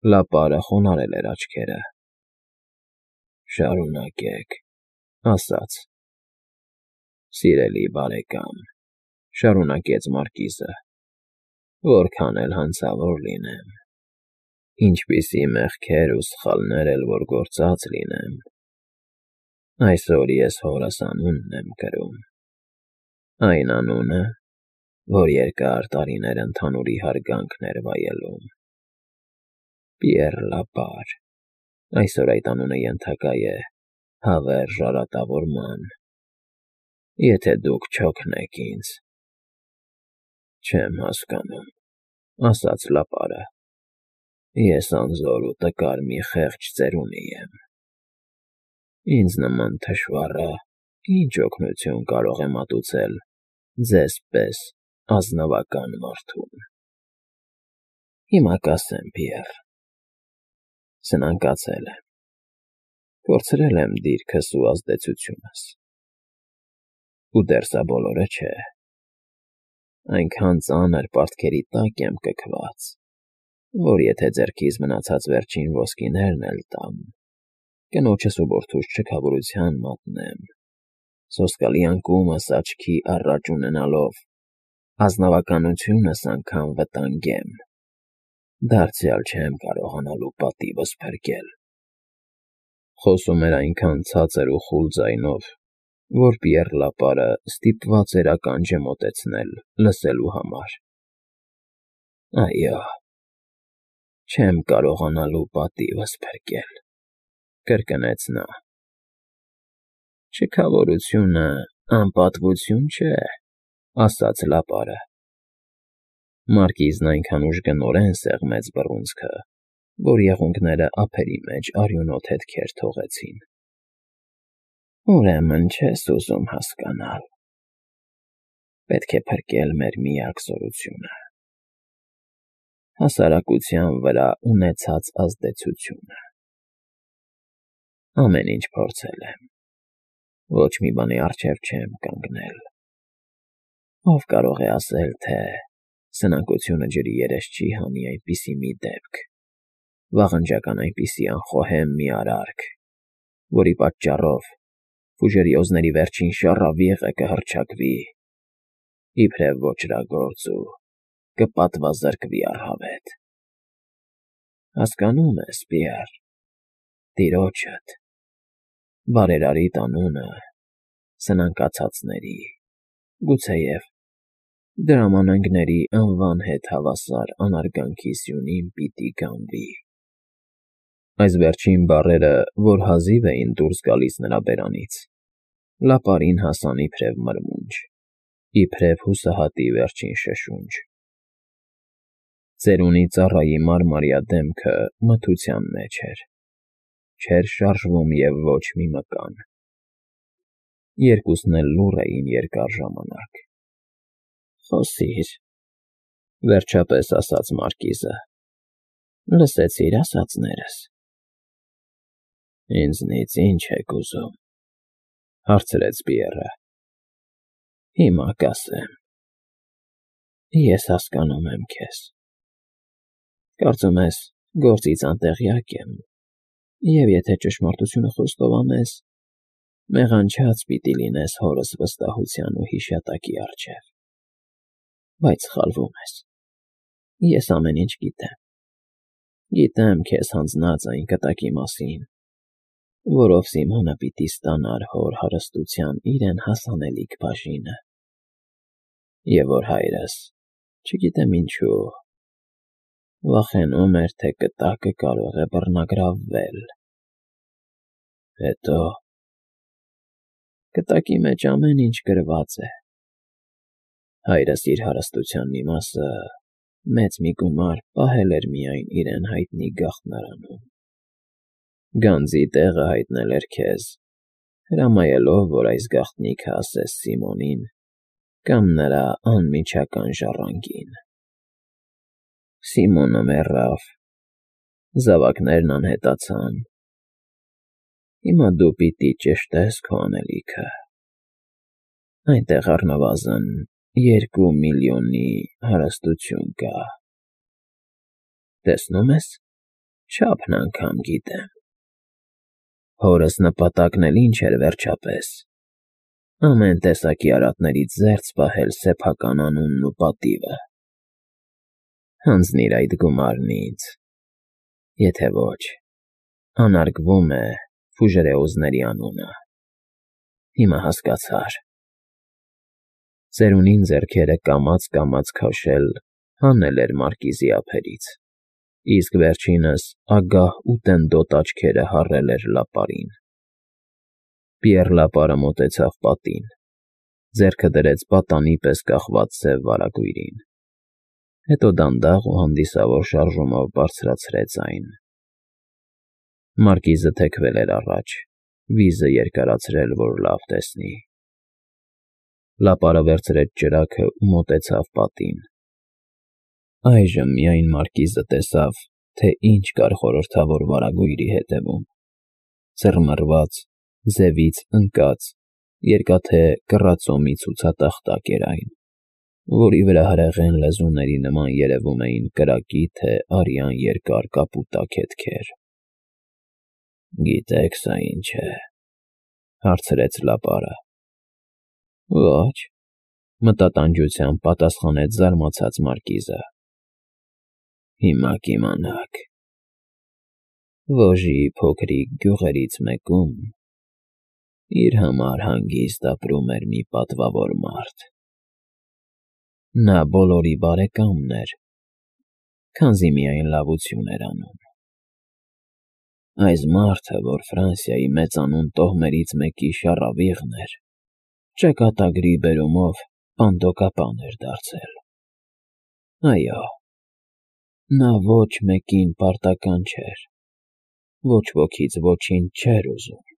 Լապարը խոնարհել էր աչքերը։ Շարունակեք, ասաց. Սիրելի բարեկամ, շարունակեց մարկիզը, որքան էլ հանցավոր լինեմ, ինչպիսի մեղքեր ու սխալներ էլ որ գործած լինեմ, այսօր ես հորս անունն եմ կրում, այն անունը, որ երկար տարիներ ընդհանուրի հարգանքն էր վայելում. Պիեռ Լապար, այսօր այդ անունը ենթակա է հավերժ արատավորման, եթե դուք չօգնեք ինձ։ Չեմ հասկանում, ասաց Լապարը, ես անզոր ու տկար մի խեղճ ծերունի եմ։ Ինձ նման թշվառը ինչ օգնություն կարող է մատուցել ձեզ պես ազնվական մարդուն։ Հիմա կասեմ, Պիեռ, սնանկացել եմ, կորցրել եմ դիրքս ու ազդեցությունս, ու դեռ սա բոլորը չէ, այնքան ծանր պարտքերի տակ եմ կքված, որ եթե ձեռքիս մնացած վերջին ոսկիներն էլ տամ, կնոջս ու որդուս չքավորության մատնեմ, սոսկալի անկումս աչքի առաջ ունենալով, ազնվականությունս անգամ վտանգեմ, դարձյալ չեմ կարողանալու պատիվս փրկել։ Խոսում էր այնքան ցածր ու խուլ ձայնով, որ Պիեռ Լապարը ստիպված էր ականջը մոտեցնել լսելու համար։ Այո, չեմ կարողանալու պատիվս փրկել, կրկնեց նա։ Չքավորությունը անպատվություն չէ, ասաց Լապարը։ Մարկիզն այնքան ուժգնորեն սեղմեց բռունցքը, որ եղունգները ափերի մեջ արյունոտ հետքեր թողեցին։ Ուրեմն չես ուզում հասկանալ։ Պետք է փրկել մեր միակ զորությունը՝ հասարակության վրա ունեցած ազդեցությունը։ Ամեն ինչ փորձել եմ, ոչ մի բանի առջև չեմ կանգնել։ Ով կարող է ասել, թե սնանկությունը ջրի երես չի հանի այնպիսի մի դեպք, վաղնջական այնպիսի անխոհեմ մի արարք, որի պատճառով ֆուժերիոզների վերջին շառավիղը կհռչակվի, իբրև ոճրագործ ու կպատվազրկվի առհավետ։ Հասկանո՞ւմ ես, Պիեռ, տիրոջդ, բարերարիտ անունը սնանկացածների, գուցեև դրամանանգների անվան հետ հավասար անարգանքի սյունին պիտի գանվի։ Այս վերջին բառերը, որ հազիվ էին դուրս գալիս նրա բերանից, Լապարին հասան իբրև մրմունջ, իբրև հուսահատի վերջին շշունջ։ Ծերունի ծառայի մարմարյա դեմքը մթության մեջ էր, չէր շարժվում և ոչ մի մկան։ Երկուսն էլ լուռ էին երկար ժամանակ։ Խոսիր, վերջապես ասաց մարկիզը, լսեցի՞ր ասածներս։ Ինձնից ի՞նչ եք ուզում, հարցրեց Պիեռը։ Հիմա կասեմ։ Ես հասկանում եմ քեզ։ Կարծում ես, գործից անտեղյակ եմ, և եթե ճշմարտությունը խոստովանես, մեղանչած պիտի լինես հորս վստահության ու հիշատակի առջև։ Բայց սխալվում ես։ Ես ամեն ինչ գիտեմ։ Գիտեմ քեզ հանձնած այն կտակի մասին, որով Սիմոնը պիտի ստանար հոր հարստության իրեն հասանելիք բաժինը, և որ հայրս, չգիտեմ ինչու, վախենում էր, թե կտակը կարող է բռնագրավվել։ Հետո կտակի մեջ ամեն ինչ գրված է։ Հայրս իր հարստության մի մասը մեծ մի գումար պահել էր միայն իրեն հայտնի գաղտնարանում։ Գանձի տեղը հայտնել էր քեզ, հրամայելով, որ այս գաղտնիքը ասես Սիմոնին կամ նրա անմիջական ժառանգին։ Սիմոնը մեռավ, զավակներն անհետացան։ Հիմա դու պիտի ճշտես քո անելիքը։ Այնտեղ առնվազն 2 միլիոնի հարստություն կա։ Տեսնո՞ւմ ես։ Չափն անգամ գիտեմ։ Հորս նպատակն էլ ինչ էր վերջապես. ամեն տեսակի արատներից զերծ պահել սեփական անունն ու պատիվը։ Հանձնիր այդ գումարն ինձ, եթե ոչ, անարգվում է Ֆուժերեոզների անունը։ Հիմա հասկացա՞ր։ Ծերունին ձեռքերը կամաց քաշել հանել էր մարկիզի ափերից, իսկ վերջինս ագահ ու տենդոտ աչքերը հառել էր լապարին։ Պիեռ Լապարը մոտեցավ պատին, ձեռքը դրեց պատանի պես կախված սև վարագույրին, հետո դանդաղ ու հանդիսավոր շարժումով բարձրացրեց այն։ Մարկիզը թեքվել էր առաջ, վիզը երկարացրել, որ լավ տեսնի։ Լապարը վերցրեց ճրագը ու մոտեցավ պատին։ Այժմ միայն մարկիզը տեսավ, թե ինչ կար խորհրդավոր վարագույրի հետևում. ծռմռված, ձևից ընկած, երկաթե կռացո մի ցուցատախտակ էր այն, որի վրա հրեղեն լեզուների նման երևում էին կրակի թե արյան երկար կապուտակ հետքեր։ Գիտեք սա ինչ է, հարցրեց Լապարը։ Ոչ, մտատանջությամբ պատասխանեց զարմացած մարկիզը։ Հիմա կիմանաք։ Ոժի փոքրիկ գյուղերից մեկում իր համար հանգիստ ապրում էր մի պատվավոր մարդ։ Նա բոլորի բարեկամն էր, քանզի միայն լավություն էր անում։ Այս մարդը, որ Ֆրանսիայի մեծանուն տոհմերից մեկի շառավիղն էր, ճակատագրի բերումով պանդոկապան էր դարձել։ Այո, նա ոչ մեկին պարտական չէր, ոչ ոքից ոչինչ չէր ուզում։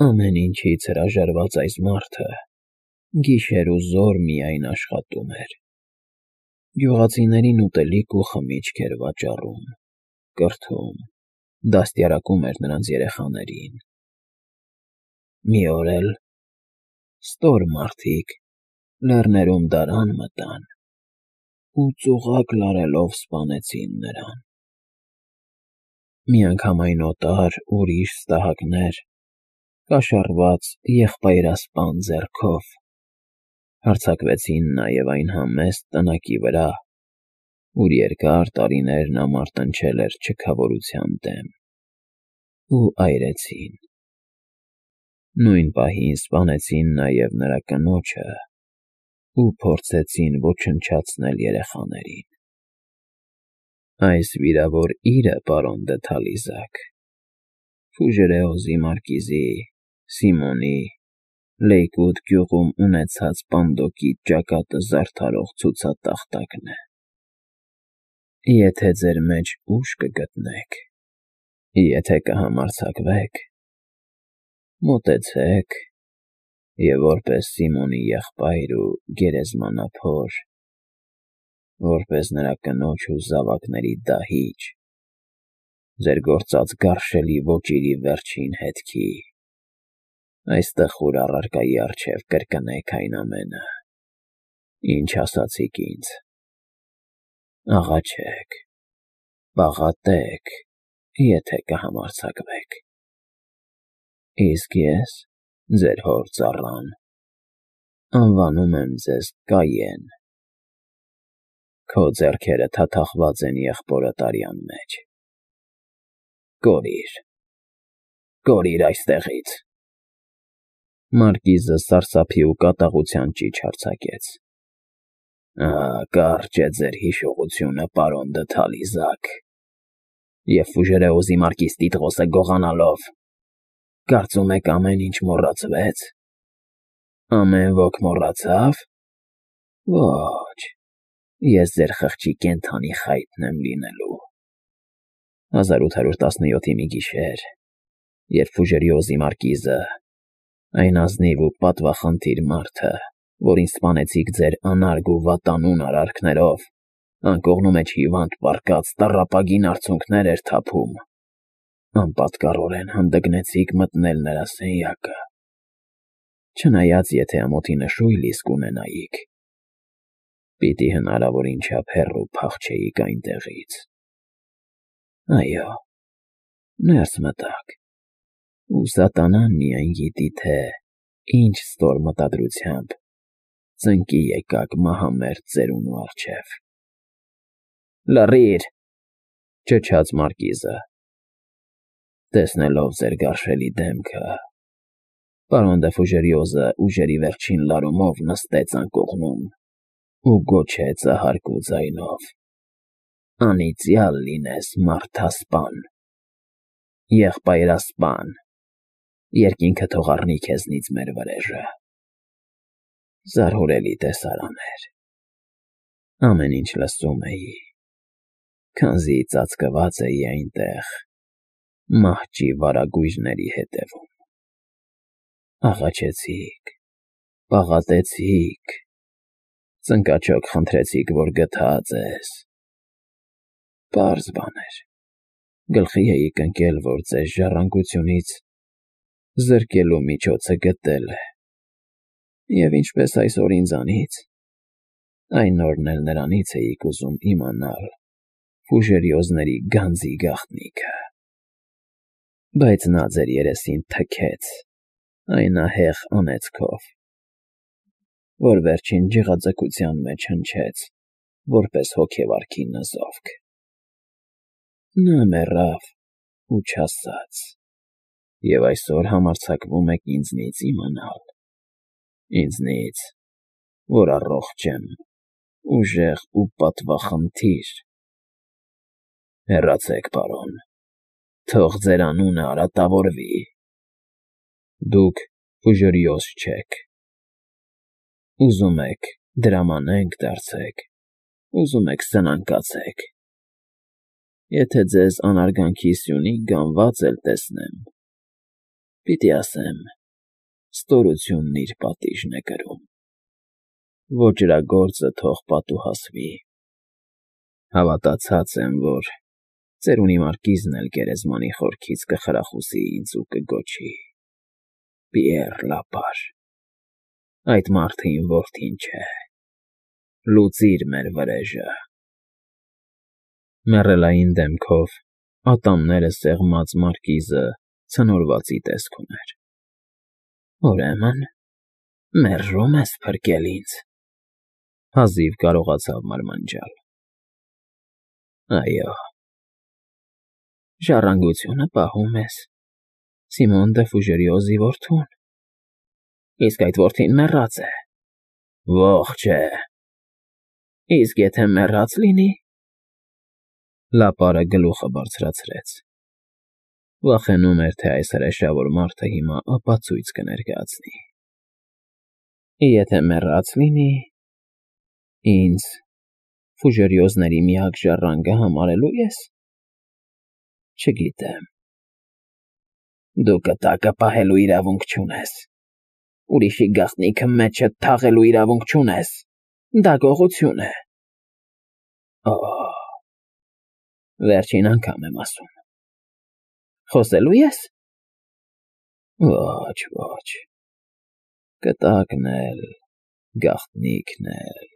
Ամեն ինչից հրաժարված այս մարդը գիշեր ու զօր միայն աշխատում էր։ Գյուղացիներին ուտելիք ու խմիչք էր վաճառում, կրթում, դաստիարակում էր նրանց երեխաներին։ Մի օր էլ ստոր մարդիկ լեռներում դարան մտան ու ծուղակ լարելով սպանեցին նրան։ Միանգամայն օտար ուրիշ ստահակներ, կաշառված եղբայրասպան ձեռքով, հարձակվեցին նաև այն համեստ տնակի վրա, ուր երկար տարիներ նա մարտնչել էր չքավորության դեմ, ու այրեցին։ Նույն պահին սպանեցին նաև նրա կնոջը ու փորձեցին ոչնչացնել երեխաներին։ Այս վիրավոր իրը, պարոն դը Թալիզակ, Ֆուժերեոզի մարկիզի Սիմոնի Լեյկուտ գյուղում ունեցած պանդոկի ճակատը զարդարող ցուցատախտակն է։ Եթե ձեր մեջ ուժ կգտնեք, եթե կհամարձակվեք, մոտեցեք և որպես Սիմոնի եղբայր ու գերեզմանափոր, որպես նրա կնոջ ու զավակների դահիճ, ձեր գործած գարշելի ոճիրի վերջին հետքի, այս տխուր առարկայի առջև կրկնեք այն ամենը, ինչ ասացիք ինձ, աղաչեք, պաղատեք, եթե կհամարձակվեք։ Իսկ ես, ձեր հոր ծառան, անվանում եմ ձեզ Կայեն։ Քո ձեռքերը թաթախված են եղբորդ արյան մեջ։ Կորիր այստեղից։ Մարկիզը սարսափի ու կատաղության ճիչ հարձակեց։ Կարճ է ձեր հիշողությունը, պարոն դը Թալիզակ, և Ֆուժերեոզի մարկիզ Տիտղոսը գողանալով, կարծում եք ամեն ինչ մոռացվեց։ Ամեն ոք մոռացավ։ Ոչ, ես ձեր խղճի կենդանի խայտն եմ լինելու։ 1817-ի մի գիշեր, երբ Ֆուժերեոզի մարկիզը, այն ազնիվ ու պատվախնդիր մարդը, որին սպանեցիք ձեր անարգ ու վատանուն արարքներով, անկողնու մեջ հիվանդ պառկած տառապագին արցունքներ էր թափում, անպատկառորեն հանդգնեցիք մտնել նրա սենյակը, չնայած եթե ամոթի նշույլ իսկ ունենայիք, պիտի հնարավորին չափ հեռու փախչեիք այնտեղից։ Այո, ներս մտաք, ու սատանան միայն գիտի, թե ինչ ստոր մտադրությամբ ծնկի եկաք մահամերձ ծերունու առջև։ Լռի՛ր, ճչաց մարկիզը, տեսնելով ձեր գարշելի դեմքը, պարոն դե Ֆուժերիոզը ուժերի վերջին լարումով նստեց անկողնում ու գոչեց ահարգու ձայնով. «Անիծյալ լինես, մարդասպան, եղբայրասպան, երկինքը թող առնի քեզնից մեր վրեժը»։ Զարհուրելի տեսարան էր։ Ամեն ինչ լսում էի, քանզի ծածկված էի այնտեղ մահճի վարագույրների հետևում։ Աղաչեցիք, պաղատեցիք, ծնկաչոք խնդրեցիք, որ գթա ձեզ։ Պարզ բան էր, գլխի էիք ընկել, որ ձեզ ժառանգությունից զրկելու միջոցը գտել է, և ինչպես այսօր ինձանից, այն օրն էլ նրանից էիք ուզում իմանալ Ֆուժերիոզների գանձի գաղտնիքը։ Բայց նա ձեր երեսին թքեց այն ահեղ անեծքով, որ վերջին ջղաձգության մեջ հնչեց որպես հոգևարքի նզովք։ Նա մեռավ ու չասաց, և այսօր համարձակվում եք ինձնից իմանալ, ինձնից, որ առողջ եմ, ուժեղ ու պատվախնդիր։ Հեռացեք, պարոն, թող ձեր անունը արատավորվի։ Դուք Ֆուժերիոզ չեք։ Ուզում եք դրամանենք դարձեք, ուզում եք սնանկացեք։ Եթե ձեզ անարգանքի սյունի գանված էլ տեսնեմ, պիտի ասեմ. ստորությունն իր պատիժն է կրում։ Ոճրագործը թող պատուհասվի։ Հավատացած եմ, որ ծերունի մարկիզն էլ գերեզմանի խորքից կխրախուսի ինձ ու կգոչի. «Պիեռ Լապար, այդ մարդը իմ որդին չէ, լուծիր մեր վրեժը»։ Մեռելային դեմքով ատամները սեղմած մարկիզը ցնորվածի տեսք ուներ։ «Ուրեմն մերժում ես փրկել ինձ», հազիվ կարողացավ մարմնջալ։ «Այո»։ «Ժառանգությունը պահում ես Սիմոն դե Ֆուժերիոզի որդուն, իսկ այդ որդին մեռած է»։ «Ողջ է»։ «Իսկ եթե մեռած լինի»։ Լապարը գլուխը բարձրացրեց։ Վախենում էր, թե այս հրեշավոր մարդը հիմա ապացույց կներկայացնի։ «Եթե մեռած լինի, ինձ Ֆուժերիոզների միակ ժառանգը համարելու ես»։ «Չգիտեմ»։ «Դու կտակը պահելու իրավունք չունես, ուրիշի գաղտնիքը մեջդ թաղելու իրավունք չունես, դա գողություն է»։ «Օ՜, վերջին անգամ եմ ասում»։ «Խոսելո՞ւ ես»։ «Ոչ, ոչ, կտակն էլ, գաղտնիքն էլ,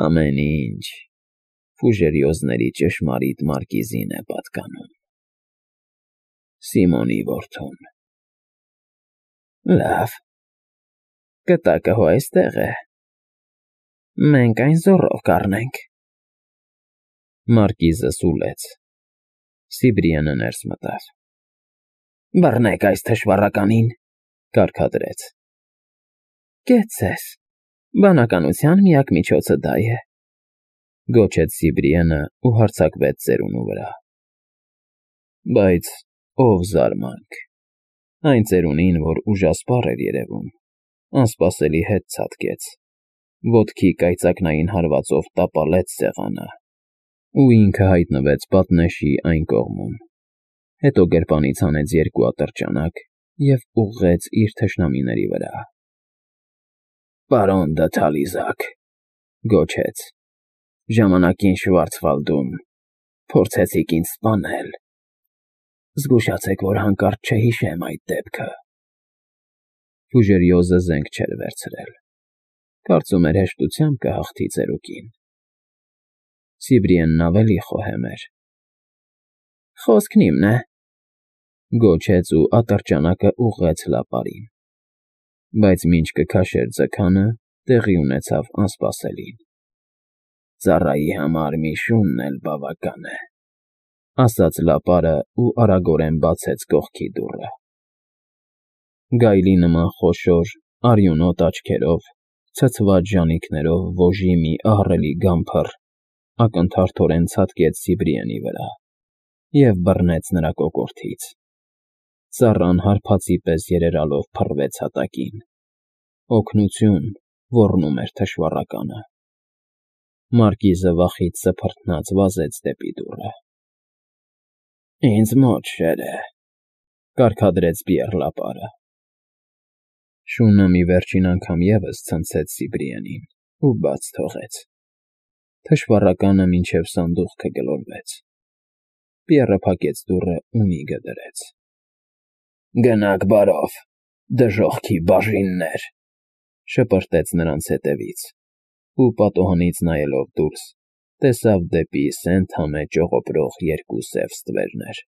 ամեն ինչ Ֆուժերիոզների ճշմարիտ մարկիզին է պատկանում, Սիմոնի որդուն»։ «Լավ, կտակը հո այստեղ է, մենք այն զոռով կառնենք»։ Մարկիզը սուլեց։ Սիբրիանը ներս մտավ։ «Բռնեք այս թշվառականին», կարգադրեց։ «Կեցցես, բանականության միակ միջոցը դա է», գոչեց Սիբրիանը ու հարձակվեց ծերունու վրա։ Բայց ով զարմանք, այն ծերունին, որ ուժասպառ էր երևում, անսպասելի հետ ցատկեց, ոտքի կայծակնային հարվածով տապալեց սեղանը ու ինքը հայտնվեց պատնեշի այն կողմում, հետո գրպանից հանեց երկու ատրճանակ և ուղղեց իր թշնամիների վրա։ «Պարոն դը Թալիզակ», գոչեց, «ժամանակին Շվարցվալդում փորձեցիք ինձ սպանել։ Զգուշացեք, որ հանկարծ չհիշեմ այդ դեպքը»։ Ֆուժերիոզը զենք չէր վերցրել։ Կարծում էր հեշտությամբ կհաղթի ծերուկին։ Սիբրիենն ավելի խոհեմ էր։ Խոսքն իմն է, գոչեց ու ատրճանակը ուղղեց լապարին, բայց մինչ կքաշեր ձգանը, տեղի ունեցավ անսպասելին։ Ծառայի համար մի շունն էլ բավական է, ասաց լապարը ու արագորեն բացեց կողքի դուռը։ Գայլի նման խոշոր, արյունոտ աչքերով, ցցված ժանիքներով ոժի մի ահռելի գամբր ակնթարթորեն ցատկեց Սիբրիենի վրա և բռնեց նրա կոկորդից։ Ծառան հարբածի պես երերալով փռվեց հատակին։ Օգնություն, ոռնում էր թշվառականը։ Մարկիզը վախից սփռթնած վազեց դեպի դուռը։ Ինձ մոտ շերը, կարգադրեց Պիեռ Լապարը։ Շունը մի վերջին անգամ ևս ցնցեց Սիբրիենին ու բաց թողեց։ Թշվառականը մինչև սանդուղքը գլորվեց։ Պիեռը փակեց դուռը ու մի գդրեց։ Գնաք բարով, դժոխքի բաժիններ, շպրտեց նրանց ետևից ու պատուհանից նայելով դուրս, տեսավ դեպի սենթամե ճողոպրող երկու սև ստվերներ։